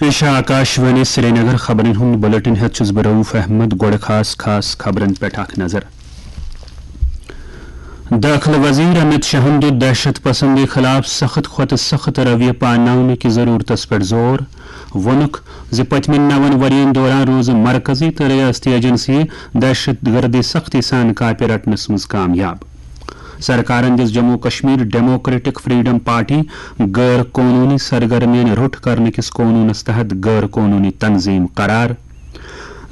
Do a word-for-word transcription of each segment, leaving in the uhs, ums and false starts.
پیش آکاشوانی سرینگر۔ خبرن ہُنٛد بلیٹن ہیتھ چھُس بہٕ رؤف احمد۔ گۄڈٕ خاص خاص خبرن پٮ۪ٹھ اکھ نظر۔ دٲخلہٕ وزیر امت شاہن دیُت دہشت پسندی خلاف سخت کھۄتہٕ سخت رویہ پاناونہٕ کہِ ضرورتس پٮ۪ٹھ زور۔ ووٚنُکھ زِ پٔتمٮ۪ن نَوَن ؤرین دوران روٗز مرکزی تہٕ ریاستی ایجنسی دہشت گردی سختی سان کاپہِ رٹنس منٛز کامیاب۔ سرکارن دِژ Jammu Kashmir democratic freedom party غٲر قونوٗنی سرگرمین روٚٹ کرنہٕ کِس قونوٗنس تحت غٲر قونوٗنی تنظیٖم قرار۔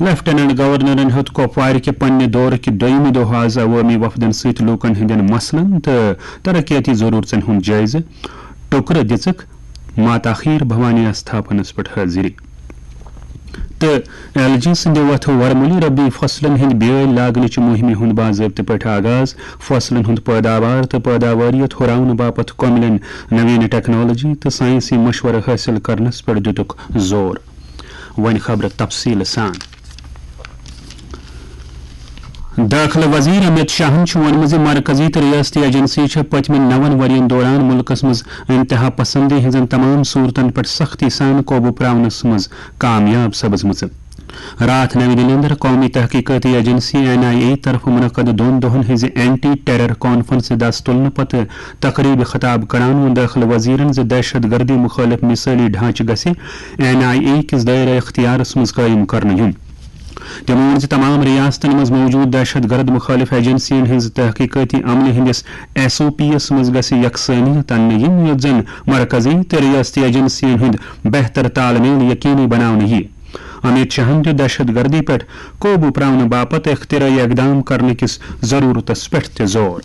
لیفٹیننٹ گورنرن ہیوٚت کۄپوارِ کہِ پننہِ دورٕ کہِ دوٚیمہِ دۄہ آز عوٲمی وفدن سۭتۍ لوٗکن ہٕنٛدٮ۪ن مسلن تہٕ ترقیٲتی ضروٗرژن ہُنٛد جٲیزٕ۔ ٹُکرٕ دِژٕکھ ماتا خیٖر بھوانی آستھاپنس پٮ۪ٹھ حٲضری۔ تہٕ ایل جی سٕنٛدِ وتھٕ ورمُلہِ ربی فصلن ہٕنٛدۍ بیٲلۍ لاگنٕچہِ مُہِمہِ ہُنٛد باضٲبطہٕ پٲٹھۍ آغاز۔ فصلن ہُنٛد پٲداوار تہٕ پٲداوٲریت ہُراونہٕ باپتھ کۄملٮ۪ن نوین ٹیکنالوجی تہٕ ساینسی مشورٕ حٲصِل کرنس پٮ۪ٹھ دِتُکھ زور۔ وۄنۍ خبرٕ تفصیٖل سان۔ دٲخلہٕ وزیر امت شاہن چھُ ووٚنمُت زِ مرکزی تہٕ ریاستی ایجنسی چھےٚ پٔتمٮ۪ن نَوَن ؤرین دوران مُلکس منٛز انتہا پسندی ہٕنٛزن تمام صورتن پٮ۪ٹھ سختی سان قوبوٗ پراونس منٛز کامیاب سپٕزمٕژ۔ راتھ نَوِ دِلہِ اندر قومی تحقیقاتی ایجنسی این آئی اے طرفہٕ منعقد دۄن دۄہن ہٕنٛزِ اینٹی ٹیرر کانفرنسہِ دس تُلنہٕ پتہٕ تقریبہِ خطاب کران ووٚن دٲخلہٕ وزیرن زِ دہشت گردی مُخٲلف مثٲلی ڈھانچہٕ گژھِ این آئی اے کِس دٲیرہ اختیارس منٛز قٲیِم کرنہٕ یُن۔ تٔمۍ ووٚن زِ تمام ریاستن منٛز موجود دہشت گرد مُخٲلف ایجنسین ہٕنٛز تحقیقٲتی عملہِ ہٕنٛدِس ایس او پی یس منٛز گژھِ یکسٲنیت اننہٕ یِنۍ، یُتھ زن مرکزی تہٕ ریاستی ایجنسین ہُنٛد بہتر تال میل یقینی بناونہٕ یِیہِ۔ امت شاہن دیُت دہشت گردی پٮ۪ٹھ قوبوٗ پراونہٕ باپتھ اختراعی اقدام کرنہٕ کِس ضروٗرتس پٮ۪ٹھ تہِ زور۔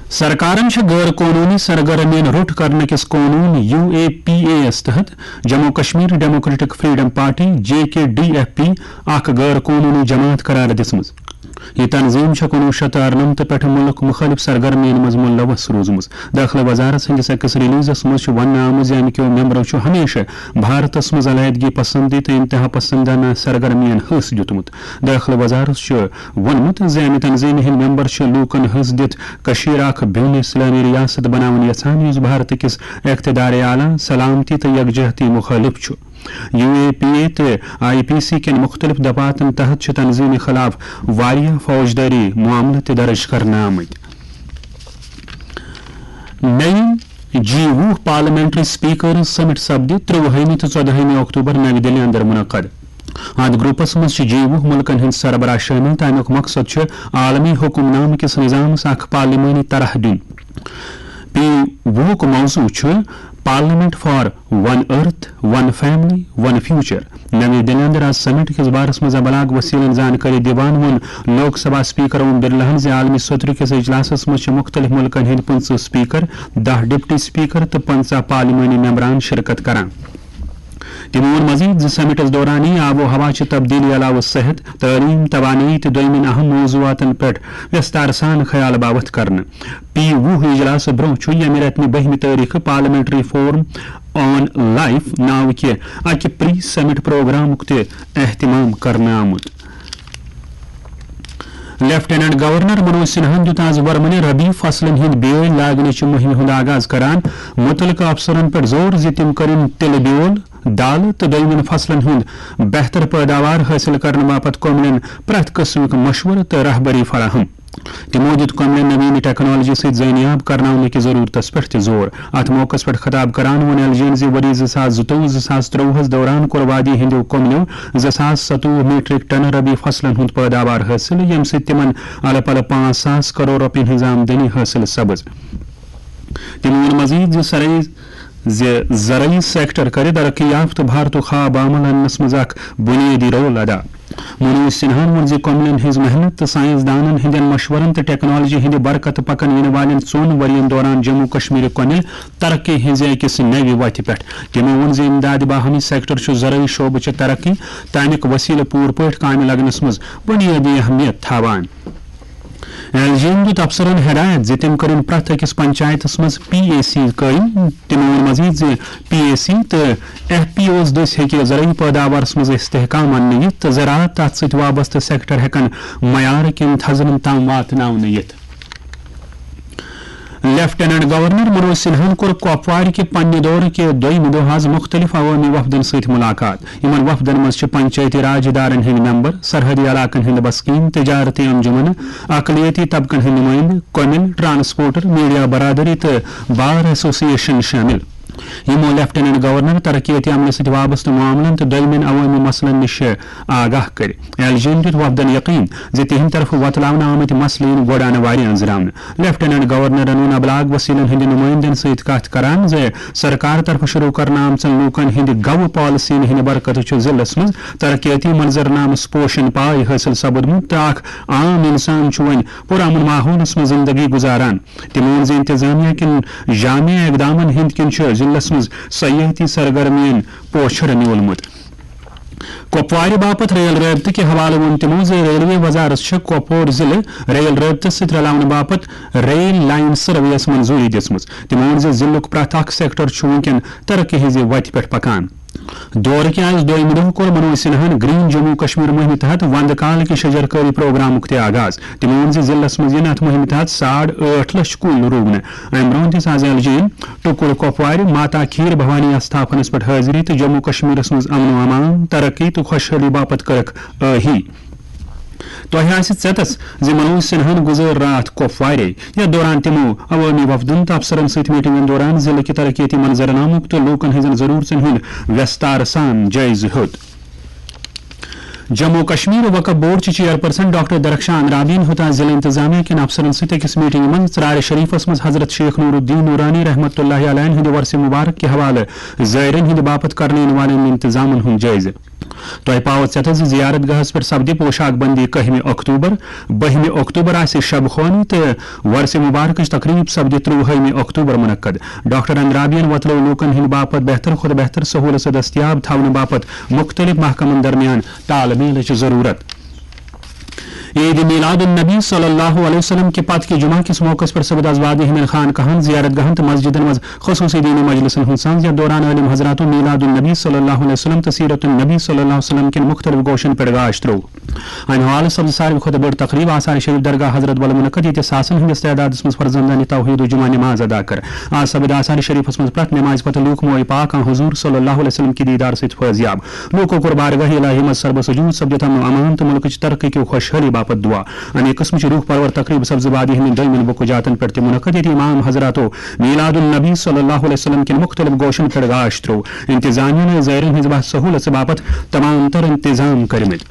سرکارن چھِ غٲر قونوٗنی سرگرمین روٚٹ کرنہٕ کِس قونوٗن U A P A S تحت Jammu Kashmir democratic freedom party, J K D F P, اکھ غٲر قونوٗنی جماعت قرار دِژمٕژ۔ یہِ تنظیٖم چھےٚ کُنوُہ شیٚتھ تہٕ اَرنَمتھ پٮ۪ٹھٕ مُلک مُختٔلِف سرگرمین منٛز مُلوث روٗزمٕژ۔ دٲخلہٕ وزارت سٕنٛدِس أکِس ریلیزس منٛز چھُ وننہٕ آمُت زِ اَمہِ کیو ممبرو چھُ ہمیشہٕ بھارتس منٛز علیحدگی پسندی تہٕ انتہا پسندانہ سرگرمین حصہٕ دیُتمُت۔ دٲخلہٕ وزارت چھُ ووٚنمُت زِ اَمہِ تنظیٖمہِ ہٕنٛدۍ ممبر چھِ لوٗکن حصہٕ دِتھ کٔشیٖر اکھ بین اسلٲمی ریاست بناوٕنۍ یژھان، یُس بھارت کِس اقتدار اعلیٰ، سلامتی تہٕ یکجہتی مُخٲلف چھُ۔ یو اے پی اے تہٕ آئی پی سی کٮ۪ن مُختٔلِف دفعاتن تحت چھِ تنظیٖمہِ خلاف واریاہ فوجدٲری معاملہٕ تہِ درٕج کرنہٕ آمٕتۍ۔ نَیہِ جی وُہ پارلیمنٹری سپیکرز سمٹ سپدِ ترٛۆوُہمہِ تہٕ ژۄدہمہِ اکتوبر نَوِ دِلہِ اندر منعقد۔ اتھ گروپس منٛز چھِ جی وُہ مُلکن ہٕنٛدۍ سربراہ شٲمِل تہٕ امیُک مقصد چھُ عالمی حکمنامہٕ کِس نظامس اکھ پارلیمانی طرح دیُن۔ پی وُہُک موضوع چھُ parliament for one earth, one family, one future. نوی دِلہِ اندر آز سمٹ کِس بارس منٛز ابلاغ وسیلن زانکٲری دِوان ووٚن لوک سبھا سپیکر اوم برلاہن زِ عالمی سترٕ کِس اجلاسس منٛز چھِ مُختٔلِف مُلکن ہٕنٛدۍ پٕنٛژٕہ سپیکر، دَہ ڈپٹی سپیکر تہٕ پنٛژاہ پارلیمانی ممبران شرکت کران۔ تٔمۍ ووٚن مزید زِ سمٹس دوران یی آب و ہوا چہِ تبدیلی علاوٕ صحت، تعلیم، توانٲیی تہٕ دوٚیمٮ۪ن اہم موضوعاتن پٮ۪ٹھ وستار سان خیال باوتھ کرنہٕ۔ پی وُہ اجلاسہٕ برونٛہہ چھُ ییٚمہِ رٮ۪تہٕ نہِ بٔہمہِ تٲریخہٕ پارلیمنٹری فورم آن لائف ناوٕ کہِ اکہِ پری سمٹ پروگرامُک تہِ اہتمام کرنہٕ آمُت۔ لیفٹیننٹ گورنر منوج سنہاہن دیُت آز ورمٕنہِ ربی فصلن ہٕنٛدۍ بیٲلۍ لاگنٕچہِ مُہِمہِ ہُنٛد آغاز کران مُتعلقہٕ افسرن پٮ۪ٹھ زور زِ تِم کٔرِن تِلہٕ بیول، دالہٕ تہٕ دوٚیمٮ۪ن فصلن ہُنٛد بہتر پٲداوار حٲصِل کرنہٕ باپتھ کۄملٮ۪ن پرٛٮ۪تھ قٕسمُک مشورٕ تہٕ رہبری فراہم۔ تِمو دیُت کۄملٮ۪ن نوین ٹیکنالوجی سۭتۍ زٲنیاب کرناونہٕ کہِ ضرورتس پٮ۪ٹھ تہِ زور۔ اتھ موقعس پٮ۪ٹھ خطاب کران ووٚن ایل جی ین زِ ؤری زٕ ساس زٕتووُہ زٕ ساس ترٛۆوُہس دوران کوٚر وادی ہٕنٛدیو کۄملٮ۪و زٕ ساس ستووُہ میٹرک ٹن ربی فصلن ہُنٛد پٲداوار حٲصِل، ییٚمہِ سۭتۍ تِمن الہٕ پلہٕ پانٛژھ ساس کرور رۄپین ہٕنٛز آمدنی حٲصِل سپٕز۔ تٔمۍ ووٚن مزید زِ سرٲے زِ زرعی سیکٹر کرِ ترقی یافتہٕ بھارتُک خواب عمل اننس منٛز اکھ بنیٲدی رول ادا۔ منوج سنہاہن ووٚن زِ کۄملٮ۪ن ہٕنٛز محنت تہٕ سائنس دانن ہٕنٛدٮ۪ن مشورن تہٕ ٹیکنالوجی ہٕنٛدِ برکتہٕ پکن یِنہٕ والٮ۪ن ژۄن ؤرین دوران جموں کشمیرٕکۍ کۄمِل ترقی ہٕنٛزِ أکِس نوِ وتہِ پٮ۪ٹھ۔ تٔمۍ ووٚن زِ امداد باہمی سیکٹر چھُ زرعی شعبہٕ چہِ ترقی تہٕ امیُک وسیلہٕ پوٗرٕ پٲٹھۍ کامہِ لگنس منٛز بنیٲدی اہمیت تھاوان۔ ایل جی ین دیُت افسرن ہدایت زِ تِم کٔرِن پرٛٮ۪تھ أکِس پنچایتس منٛز پی اے سی قٲیِم۔ تِمو ووٚن مزید زِ پی اے سی تہٕ ایف پی اوز دٔسۍ ہیٚکہِ زرعی پٲداوارس منٛز استحکام اننہٕ یِتھ تہٕ زراعت تتھ سۭتۍ وابستہٕ سیکٹر ہیٚکن معیار کٮ۪ن تھزرن تام واتناونہٕ یِتھ۔ لیفٹیننٹ گورنر منوج سنہاہن کوٚر کۄپوارِ کہِ پننہِ دورٕ کہِ دوٚیمہِ دۄہ آز مُختٔلِف عوٲمی وفدن سۭتۍ مُلاقات۔ یِمن وفدن منٛز چھِ پنچایتی راج ادارن ہٕنٛدۍ ممبر، سرحدی علاقن ہٕنٛدۍ بسکیٖن، تجارتی انجمنہٕ، اقلیتی طبقن ہٕنٛدۍ نُمٲیندٕ، کومل، ٹرانسپورٹر، میڈیا برادری تہٕ بار ایسوسی ایشن شٲمِل۔ یِمو لیفٹیننٹ گورنر ترقیتی عملہِ سۭتۍ وابستہٕ معاملن تہٕ دوٚیمٮ۪ن عوٲمی مسلن نِش آگاہ کٔرۍ۔ ایل جی ین دیُت وفدن یقین زِ تِہنٛدِ طرفہٕ وۄتلاونہٕ آمٕتۍ مسلہٕ یِن گۄڈٕ انوارِ أنٛزراونہٕ۔ لیفٹیننٹ گورنرن ووٚن ابلاغ وسیلن ہٕنٛدِ نُمٲیندن سۭتۍ کتھ کران زِ سرکار طرفہٕ شروع کرنہٕ آمژن لوٗکن ہٕنٛدِ گوٚو پالیسین ہٕنٛدِ برکتہٕ چھُ ضلعس منٛز ترقیتی منظرنامس پوشن پاے حٲصِل سپدمُت تہٕ اکھ عام انسان چھُ وۄنۍ پُرامن ماحولس منٛز زندگی گُزاران۔ تِمو ووٚن زِ انتظامیہ کٮ۪ن جامع اقدامن ہٕنٛدۍ کِنۍ چھُ ضلعس منٛز سیاحتی سرگرمین پوچھر نیولمُت۔ کۄپوارِ باپتھ ریل رٲبطہٕ کہِ حوالہٕ ووٚن تِمو زِ ریلوے وزارت چھےٚ کۄپور ضلعہٕ ریل رٲبطس سۭتۍ رلاونہٕ باپتھ ریل لائن سروے یَس منظوٗری دِژمٕژ۔ تِمو ووٚن زِ ضلعُک پرٛٮ۪تھ اکھ سیکٹر چھُ وُنکٮ۪ن ترقی ہٕنٛزِ وتہِ پٮ۪ٹھ پکان۔ دورٕ کہِ آز دوٚیمہِ دۄہ کوٚر منوج سنہاہن گرین جموں کشمیر مُہِمہِ تحت وندٕ کال کہِ شجرکٲری پروگرامُک تہِ آغاز۔ تِمو ووٚن زِ ضلعس منٛز یِن اتھ مُہِمہِ تحت ساڑ ٲٹھ لچھ کُلۍ رُونہٕ۔ امہِ برونٛہہ دِژ آز ایل جی ین ٹُکُر کۄپوارِ ماتا کھیٖر بھوانی آستھاپنس پٮ۪ٹھ حٲضری تہٕ جموں کشمیرس منٛز امن و امان، ترقی تہٕ خۄشحٲلی باپتھ کٔرٕکھ ٲہی۔ تۄہہِ آسہِ ژیتس زِ منوج سنہاہن گُزٲر راتھ کۄپوارے۔ یتھ دوران تِمو عوٲمی وفدن تہٕ افسرن سۭتۍ میٹنگن دوران ضلعہٕ کہِ ترقیتی منظرنامُک تہٕ لوٗکن ہٕنٛزن ضروٗرژن ہُنٛد ویستار سان جٲیزٕ ہیوٚت۔ جموں کشمیر وقف بورڈ چہِ چیئرپرسن ڈاکٹر درخشان اندرابین ہیوٚت آز ضلع انتظامیہ کٮ۪ن افسرن سۭتۍ أکِس میٹنگہِ منٛز ژرارِ شریفس منٛز حضرت شیخ نور الدین نورانی رحمتہ اللہ علیہ ہٕنٛدِ ورثہِ مبارک کہِ حوالہٕ زائرین ہٕنٛدِ باپتھ کرنہٕ یِنہٕ والٮ۪ن انتظامن ہُنٛد جٲیزٕ۔ تۄہہِ پاوو ژیتس زِ زیارت گاہس پٮ۪ٹھ سپدِ پوشاک بندی کٔہمہِ اکتوبر، بٔہمہِ اکتوبر آسہِ شب خوانی تہٕ ورثہِ مبارکٕچ تقریب سپدِ ترٛوُہمہِ اکتوبر منعقد۔ ڈاکٹر اندرابین وۄتلٲو لوٗکن ہٕنٛدِ باپتھ بہتر کھۄتہٕ بہتر سہولژٕ دٔستیاب تھاونہٕ باپتھ مُختٔلِف محکمن درمیان تال میلٕچ ضروٗرت۔ عید میلاد النبی صلی اللہ علیہ وسلم کہِ پتہٕ کہِ جمعہ کِس موقعس پٮ۪ٹھ سپد آز وادی ہٕنٛدٮ۪ن خانقاہن، زیارت گاہن تہٕ مسجدن منٛز خصوٗصی دینی مجلسن ہُنٛد سانز، یتھ دوران عٲلم حضراتو میلاد النبی صلی اللہ علیہ وسلم تہٕ سیرت النبی صلی اللہ علیہ وسلم کٮ۪ن مُختٔلِف گوشن پٮ۪ٹھ گاش ترٛوو۔ امہِ حوالہٕ سپز ساروی کھۄتہٕ بٔڑ تقریب آثار شریف درگاہ حضرت بل منعقد، ییٚتہِ ساسن ہٕنٛدِس تعدادس منٛز فرزندان توحید و جمعہ نماز ادا کٔر۔ آز سپد آثار شریفس منٛز پرٛٮ۪تھ نمازِ پتہٕ لوٗکھ موئے پاک آن حضور صلی اللہ علیہ وسلم کہِ دیدار سۭتۍ فٲضیاب۔ لوٗکو کوٚر بارگاہ الہی منٛز سربہ سجود سپدِتھ امن و امان تہٕ مُلکٕچ ترقی کیو خۄشحٲلی باپتھ دعا۔ امے قٕسمٕچ روح پرور تقریب سبزٕ وادی ہٕنٛدٮ۪ن دوٚیمٮ۪ن بُکہٕ جاتن پٮ۪ٹھ تہِ منعقد، ییٚتہِ امام حضراتو میلاد النبی صلی اللہ علیہ وسلم کٮ۪ن مُختٔلِف گوشن پٮ۪ٹھ گاش ترٛوو۔ انتظامیہ ٲسۍ زائرین ہٕنٛز بس سہوٗلژ باپتھ تمام تر انتظام کٔرمٕتۍ۔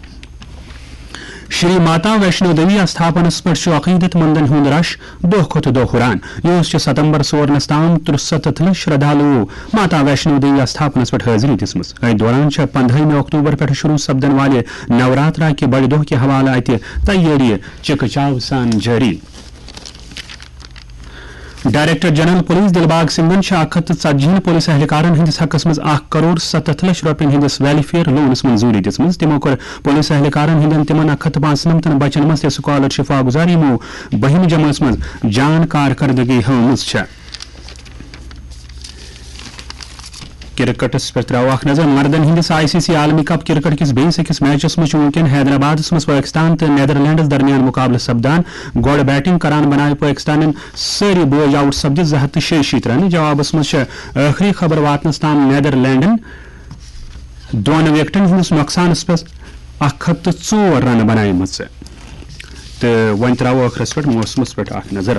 شری ماتا ویشنو دیوی آستھاپنس پٮ۪ٹھ چھُ عقیدت مندن ہُنٛد رش دۄہ کھۄتہٕ دۄہ ہُران۔ یُہُس چھُ ستمبر سورنس تام ترُسَتتھ لچھ شردھالوٗ ماتا ویشنو دیوی آستھاپنس پٮ۪ٹھ حٲضری دِژمٕژ۔ أتھۍ دوران چھےٚ پندہٲیمہِ اکتوبر پٮ۪ٹھ شروع سپدن والہِ نوراترا کہِ بڑِ دۄہ کہِ حوالہٕ اتہِ تیٲری چکہٕ چاو سان جٲری۔ ڈائریکٹر جنرل پولیس دلباغ سنگھن چھِ اکھ ہتھ تہٕ ژتجی ہن پولیس اہلکارن ہٕنٛدِس حقس منٛز اکھ کرور ستتھ لچھ رۄپین ہٕنٛدِس ویلفیئر لونس منظوٗری دِژمٕژ۔ تِمو کٔر پولیس اہلکارن ہٕنٛدٮ۪ن تِمن اکھ ہتھ تہٕ پانٛژنمتن بچن منٛز تہِ سکالرشپ واگزار، یِمو بٔہمہِ جمٲژ منٛز جان کارکردگی ہٲومٕژ چھےٚ۔ کرکٹس پٮ۪ٹھ ترٛاوو اکھ نظر۔ مردن ہٕنٛدِس آئی سی سی عالمی کپ کرکٹ کِس بیٚیِس أکِس میچس منٛز چھُ وُنکٮ۪ن حیدرآبادس منٛز پٲکستان تہٕ نیدرلینڈس درمیان مقابلہٕ سپدان۔ گۄڈٕ بیٹنگ کران بناوِ پٲکستانن سٲری بوج آؤٹ سپدِتھ زٕ ہتھ تہٕ شیٚیہِ شیٖتھ رنہٕ۔ جوابس منٛز چھِ ٲخری خبر واتنس تام نیدرلینڈن دۄن وکٹن ہٕنٛدِس نۄقصانس پٮ۪ٹھ اکھ ہتھ تہٕ ژور رنہٕ بناومژٕ۔ تہٕ وۄنۍ ترٛاوو ٲخرس پٮ۪ٹھ موسمس پٮ۪ٹھ اکھ نظر۔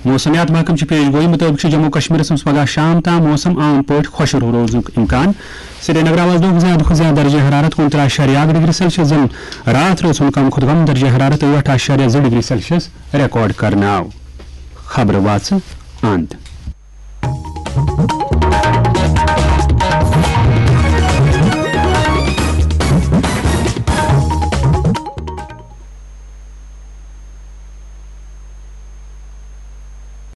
موسمیات محکمہٕ چہِ پیش گویی مُطٲبِق چھُ جموں کشمیرس منٛز پگہہ شام تام موسم عام پٲٹھۍ خۄشک روزنُک امکان۔ سرینگر آز دۄہُک زیادٕ کھۄتہٕ زیادٕ درجہ حرارت کُنترٕہ اعشاریہ اکھ ڈگری سیلسیس، زن راتھ روز ہُنٛد کم کھۄتہٕ کم درجہ حرارت ٲٹھ اعشاریہ زٕ ڈگری سیلسیس ریکارڈ کرنہٕ آو۔ خبرٕ واژٕ اند۔